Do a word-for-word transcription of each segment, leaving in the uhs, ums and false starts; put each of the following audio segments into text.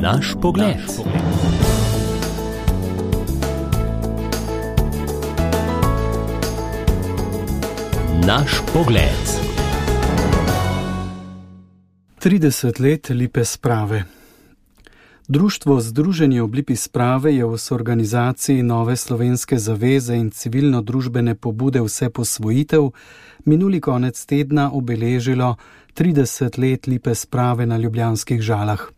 Naš pogled. Naš pogled. trideset let Lipe sprave. Društvo Združenje ob Lipi sprave je v soorganizaciji Nove slovenske zaveze in civilno-družbene pobude Vseposvojitev minuli konec tedna obeležilo trideset let Lipe sprave na ljubljanskih Žalah.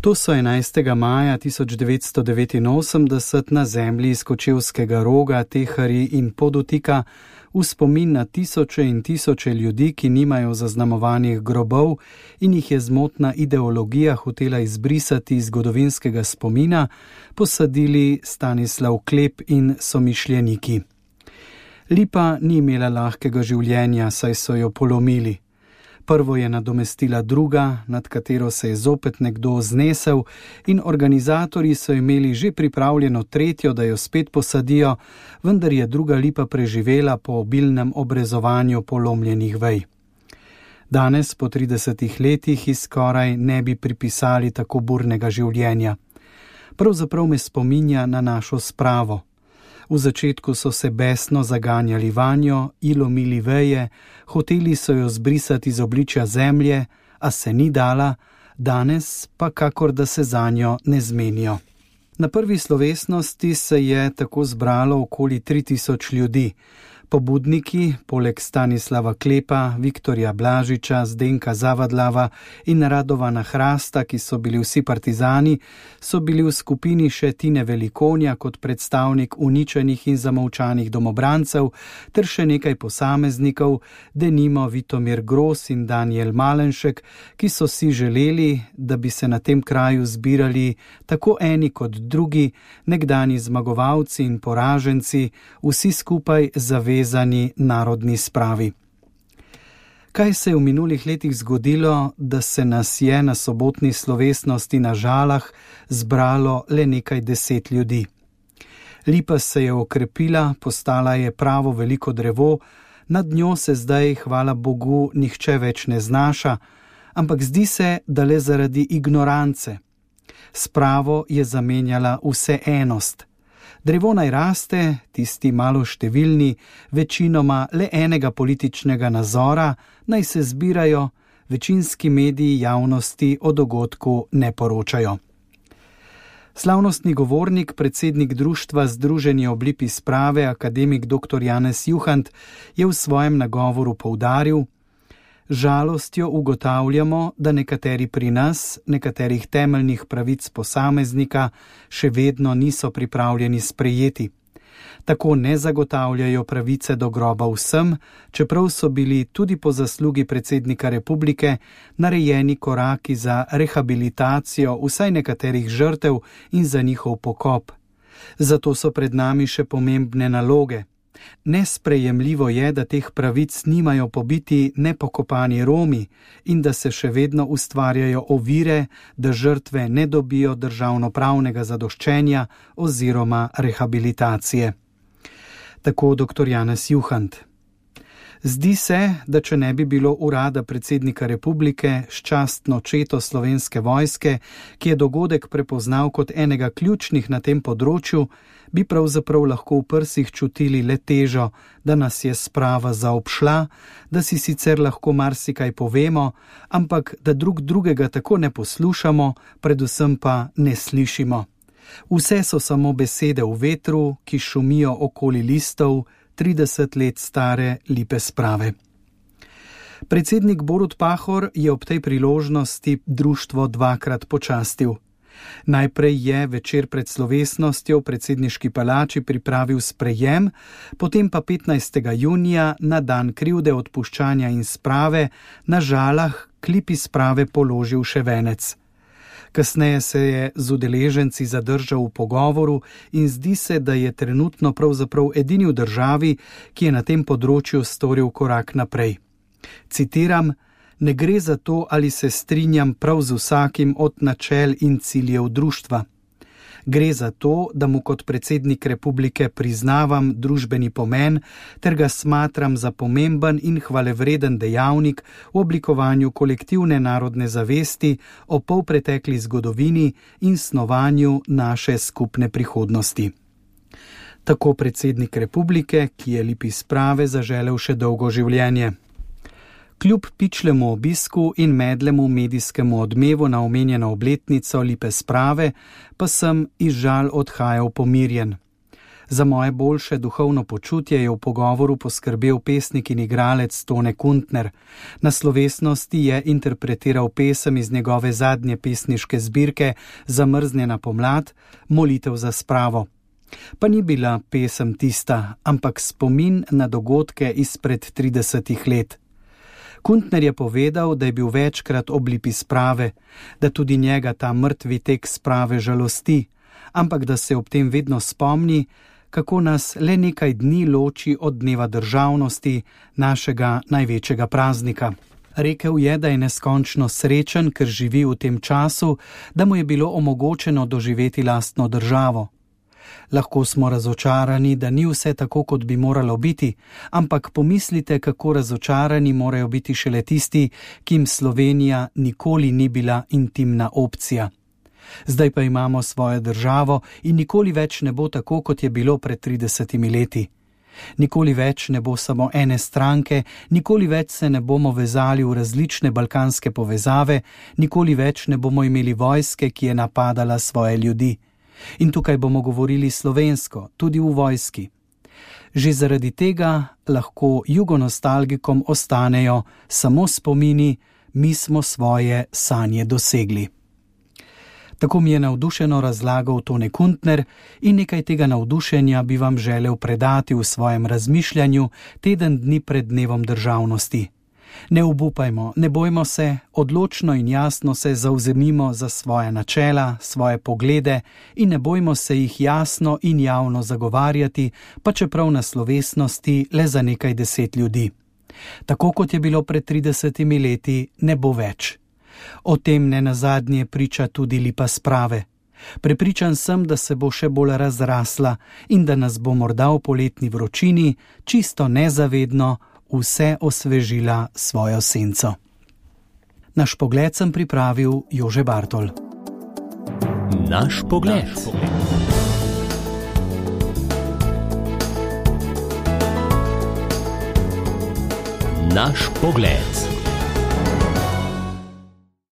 To so enajstega maja tisoč devetsto devetinosemdeset na zemlji iz Kočevskega Roga, Teharji in Podotika v spomin na tisoče in tisoče ljudi, ki nimajo zaznamovanih grobov in jih je zmotna ideologija hotela izbrisati iz zgodovinskega spomina, posadili Stanislav Klep in somišljeniki. Lipa ni imela lahkega življenja, saj so jo polomili. Prvo je nadomestila druga, nad katero se je zopet nekdo znesel, in organizatorji so imeli že pripravljeno tretjo, da jo spet posadijo, vendar je druga lipa preživela po obilnem obrezovanju polomljenih vej. Danes, po tridesetih letih, ji skoraj ne bi pripisali tako burnega življenja. Pravzaprav me spominja na našo spravo. V začetku so se besno zaganjali vanjo, ji lomili veje, hoteli so jo zbrisati iz obličja zemlje, a se ni dala, danes pa kakor da se zanjo ne zmenijo. Na prvi slovesnosti se je tako zbralo okoli tri tisoč ljudi. Pobudniki, poleg Stanislava Klepa, Viktorja Blažiča, Zdenka Zavadlava in Radovana Hrasta, ki so bili vsi partizani, so bili v skupini še Tine Velikonja kot predstavnik uničenih in zamolčanih domobrancev, ter še nekaj posameznikov, denimo Vitomir Gros in Danijel Malenšek, ki so si želeli, da bi se na tem kraju zbirali tako eni kot drugi, nekdani zmagovalci in poraženci, vsi skupaj zavedali vezani narodni spravi. Kaj se je v minulih letih zgodilo, da se nas je na sobotni slovesnosti na Žalah zbralo le nekaj deset ljudi? Lipa se je okrepila, postala je pravo veliko drevo, nad njo se zdaj, hvala Bogu, nihče več ne znaša, ampak zdi se, da le zaradi ignorance. Spravo je zamenjala vseenost. Drevo naj raste, tisti malo številni, večinoma le enega političnega nazora, naj se zbirajo, večinski mediji javnosti o dogodku ne poročajo. Slavnostni govornik, predsednik društva Združenje ob Lipi sprave, akademik doktor Janez Juhant, je v svojem nagovoru poudaril: žalostjo ugotavljamo, da nekateri pri nas, nekaterih temeljnih pravic posameznika še vedno niso pripravljeni sprejeti. Tako ne zagotavljajo pravice do groba vsem, čeprav so bili tudi po zaslugi predsednika republike narejeni koraki za rehabilitacijo vsaj nekaterih žrtev in za njihov pokop. Zato so pred nami še pomembne naloge. Nesprejemljivo je, da teh pravic nimajo pobiti nepokopani Romi in da se še vedno ustvarjajo ovire, da žrtve ne dobijo državnopravnega zadoščenja oziroma rehabilitacije. Tako doktor Janez Juhant. Zdi se, da če ne bi bilo urada predsednika republike s častno četo Slovenske vojske, ki je dogodek prepoznal kot enega ključnih na tem področju, bi pravzaprav lahko v prsih čutili le težo, da nas je sprava zaobšla, da si sicer lahko marsikaj povemo, ampak da drug drugega tako ne poslušamo, predvsem pa ne slišimo. Vse so samo besede v vetru, ki šumijo okoli listov trideset let stare Lipe sprave. Predsednik Borut Pahor je ob tej priložnosti društvo dvakrat počastil. Najprej je večer pred slovesnostjo v predsedniški palači pripravil sprejem, potem pa petnajstega junija na dan krivde, odpuščanja in sprave na Žalah k Lipi sprave položil še venec. Kasneje se je z udeleženci zadržal v pogovoru in zdi se, da je trenutno pravzaprav edini v državi, ki je na tem področju storil korak naprej. Citiram: ne gre za to, ali se strinjam prav z vsakim od načel in ciljev društva. Gre za to, da mu kot predsednik republike priznavam družbeni pomen ter ga smatram za pomemben in hvalevreden dejavnik v oblikovanju kolektivne narodne zavesti o polpretekli zgodovini in snovanju naše skupne prihodnosti. Tako predsednik republike, ki je Lipi Sprave zaželel še dolgo življenje. Kljub pičlemu obisku in medlemu medijskemu odmevu na omenjeno obletnico Lipe Sprave, pa sem iz žal odhajal pomirjen. Za moje boljše duhovno počutje je v pogovoru poskrbel pesnik in igralec Tone Kuntner. Na slovesnosti je interpretiral pesem iz njegove zadnje pesniške zbirke Zamrznjena pomlad, Molitev za spravo. Pa ni bila pesem tista, ampak spomin na dogodke izpred tridesetih let. Kuntner je povedal, da je bil večkrat ob Lipi Sprave, da tudi njega ta mrtvi tek sprave žalosti, ampak da se ob tem vedno spomni, kako nas le nekaj dni loči od dneva državnosti, našega največjega praznika. Rekel je, da je neskončno srečen, ker živi v tem času, da mu je bilo omogočeno doživeti lastno državo. Lahko smo razočarani, da ni vse tako, kot bi moralo biti, ampak pomislite, kako razočarani morajo biti šele tisti, ki jim Slovenija nikoli ni bila intimna opcija. Zdaj pa imamo svojo državo in nikoli več ne bo tako, kot je bilo pred tridesetimi leti. Nikoli več ne bo samo ene stranke, nikoli več se ne bomo vezali v različne balkanske povezave, nikoli več ne bomo imeli vojske, ki je napadala svoje ljudi. In tukaj bomo govorili slovensko, tudi v vojski. Že zaradi tega lahko jugonostalgikom ostanejo samo spomini, mi smo svoje sanje dosegli. Tako mi je navdušeno razlagal Tone Kuntner in nekaj tega navdušenja bi vam želel predati v svojem razmišljanju teden dni pred dnevom državnosti. Ne obupajmo, ne bojmo se, odločno in jasno se zavzemimo za svoje načela, svoje poglede in ne bojmo se jih jasno in javno zagovarjati, pa čeprav na slovesnosti le za nekaj deset ljudi. Tako kot je bilo pred tridesetimi leti, ne bo več. O tem ne nazadnje priča tudi Lipa Sprave. Prepričan sem, da se bo še bolj razrasla in da nas bo morda v poletni vročini, čisto nezavedno, vse osvežila svojo senco. Naš pogled sem pripravil Jože Bartol. Naš pogled. Naš pogled.